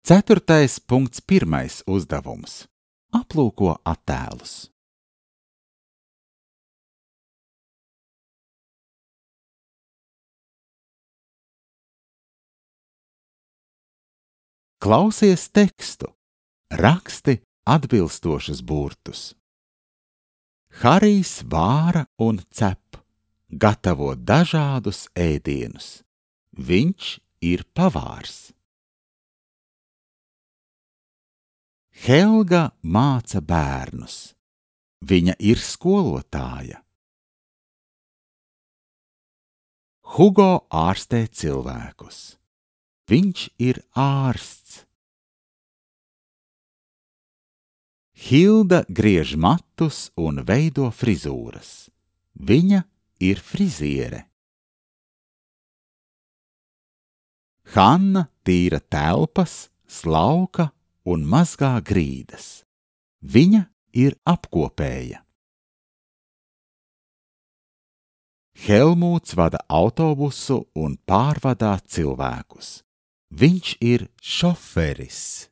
4.1. uzdevums. Aplūko attēlus. Klausies tekstu. Raksti atbilstošus burtus. Harijs vāra un cep, gatavo dažādus ēdienus. Viņš ir pavārs. Helga māca bērnus. Viņa ir skolotāja. Hugo ārstē cilvēkus. Viņš ir ārsts. Hilda griež matus un veido frizūras. Viņa ir friziere. Hanna tīra telpas, slauka un mazgā grīdas. Viņa ir apkopēja. Helmūts vada autobusu un pārvadā cilvēkus. Viņš ir šoferis.